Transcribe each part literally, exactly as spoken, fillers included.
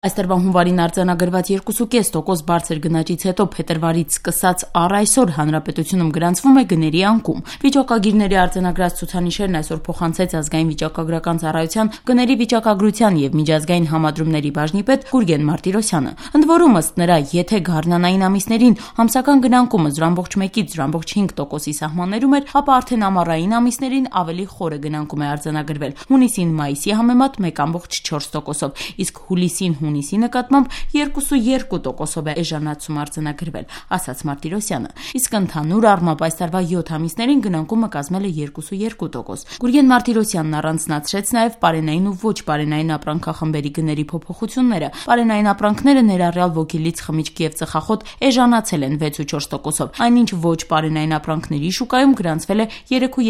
Այս տարվա հունվարին արձանագրված երկու կես տոկոս բարձր գնաճից հետո փետրվարից սկսած առ այսօր հանրապետությունում գրանցվում է գների անկում։ Վիճակագիրների արձանագրած ցուցանիշերն այսօր փոխանցեց ազգային վիճակագրական ծառայության գների վիճակագրության եւ միջազգային համադրումների բաժնի պետ Գուրգեն Մարտիրոսյանը։ Ընդ որում, ըստ նրա, եթե գարնանային ամիսներին համսական գնանկումը զրո կόμma մեկից զրո կόμma հինգ տոկոսի սահմաններում էր, ապա արդեն ամառային ամիսներին ավելի խորը գնանկում է արձանագրվել։ Հունիսին մայիսի համեմատ մեկ կόμma չորս տոկոսով, իսկ հուլիսին հունիսի նկատմամբ երկու տոկոսով է էժանացում արձանագրվել, ասաց Մարտիրոսյանը։ Իսկ ընդհանուր առմամբ այս տարվա յոթ ամիսներին գնանկումը կազմել է երկու տոկոս։ Գուրգեն Մարտիրոսյանն առանձնացրեց նաև պարենային ու ոչ պարենային ապրանքախմբերի գների փոփոխությունները։ Պարենային ապրանքները ներառյալ ոգելից, խմիչք եւ ծխախոտ էժանացել են վեց ու չորս տոկոսով, այնինչ ոչ պարենային ապրանքների շուկայում գրանցվել է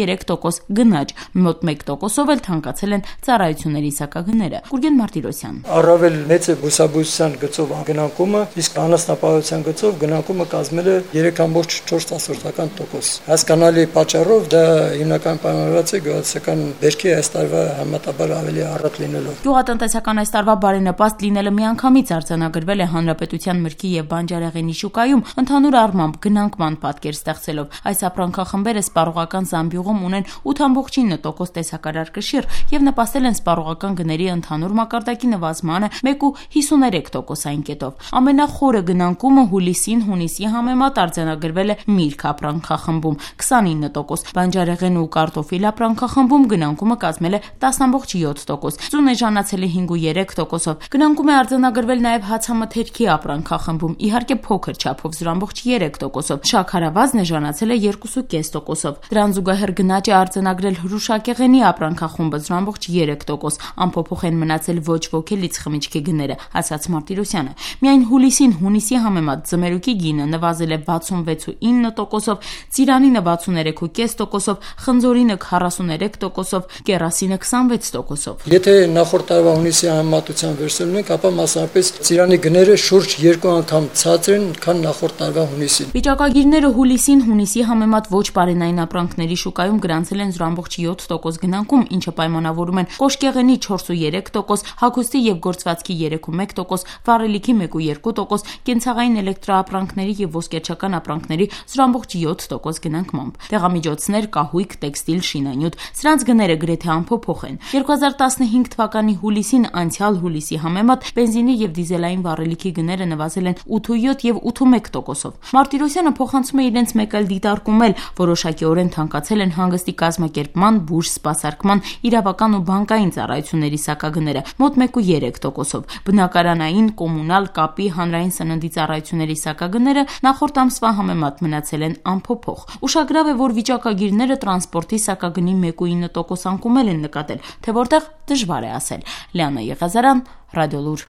երեք տոկոս գնաճ, մոտ մեկ տոկոսով էլ թանկացել են ծառայությունների սակագները։ Գուրգեն Մարտիրոսյան. Առավել մեծ է բուսաբուժության գծով գնանկումը, իսկ անասնապահության գծով գնանկումը կազմել է երեք կόμma չորս տոկոս։ Հասկանալի պատճառով դա հիմնական պայմանավորված է գյուղատնտեսական բերքի այս տարվա համատաբար ավելի առատ լինելով։ Գյուղատնտեսական այս տարվա բարենպաստ լինելը միանգամից արձանագրվել է հանրապետության մրգի եւ բանջարեղենի շուկայում, ընդհանուր առմամբ գնանկման պատկեր ստեղծելով։ Այս ապրանքախմբերը սպառողական զամբյուղում ունեն ութ կόμma ինը տոկոս տեսակարար կշիռ եւ նպաստել են սպառողական գների ընդհանուր մակարդակի նվազմանը մեկ կόμma հիսուներեք տոկոսային կետով։ Ամենախորը գնանկումը հուլիսին հունիսի համեմատ արձանագրվել է միրգ ապրանքախմբում քսանինը տոկոս, բանջարեղեն ու կարտոֆիլ ապրանքախմբում գնանկումը կազմել է տասը կόμma յոթ տոկոս, ծուն էժանացել է հինգ կόμma երեք տոկոսով։ Գնանկում է արձանագրվել նաև հացամթերքի ապրանքախմբում, իհարկե փոքր չափով զրո կόμma երեք տոկոսով, շաքարավազն էժանացել է երկու կես տոկոսով։ Դրան զուգահեռ գնաճ է արձանագրել հրուշակեղենի ապրանքախումբը զրո կόμma երեք տոկոս, անփոփոխ են մնացել ոչ ոգելից խմիչքի գները, ասաց Մարտիրոսյանը։ Միայն հուլիսին հունիսի համեմատ ձմերուկի գինը նվազել է վաթսունվեց կόμma ինը տոկոսով, ծիրանինը վաթսուներեք կόμma պինգ տոկոսով, խնձորինը քառասուներեք տոկոսով, կերասինը քսանվեց տոկոսով։ Եթե նախորդ տարվա հունիսի համեմատությամբ վերցնում ենք, ապա մասնավորապես ծիրանի գները շուրջ երկու անգամ ցածր են, քան նախորդ տարվա հունիսին։ Վիճակագիրները հուլիսին հունիսի համեմատ ոչ պարենային ապրանքների շուկայում գրանցել են զրո կόμma յոթ տոկոս գնանկում, ինչը պայմանավորում են կոշկեղենի չորս կόμma երեք տոկոս, հագուստի եւ գործվածքի երեք կόμma մեկ տոկոս, վառելիքի մեկ կόμma երկու տոկոս, կենցաղային էլեկտրաապրանքների եւ ոսկերչական ապրանքների զրո կόμma յոթ տոկոս գնանկմամբ։ Տեղամիջոցներ, կահույք, տեքստիլ, շինանյութ, սրանց գները գրեթե անփոփոխ են։ երկու հազար տասնհինգ թվականի հուլիսին անցյալ հուլիսի համեմատ բենզինի եւ դիզելային վառելիքի գները նվազել են ութ կόμma յոթ եւ ութ կόμma մեկ տոկոսով։ Մարտիրոսյանը փոխանցում է իրենց մեկ այլ դիտարկում էլ, որոշակիորեն թանկացել են հանգստի կազմակերպման, բուժ, սպասարկման, իրավական ու բանկային ծառայությունների սակագները մոտ մեկ կόμma երեք տոկոսով։ Բնակարանային, կոմունալ, կապի, հանրային սննդի ծառայությունների սակագները նախորդ ամսվա համեմատ մնացել են անփոփոխ։ Ուշագրավ է, որ վիճակագիրները տրանսպորտի սակագնի մեկ կόμma ինը տոկոս անկում են նկատել, թե որտեղ դժվար է ասել։ Լիանա Եղազարյան, Ռադիոլուր։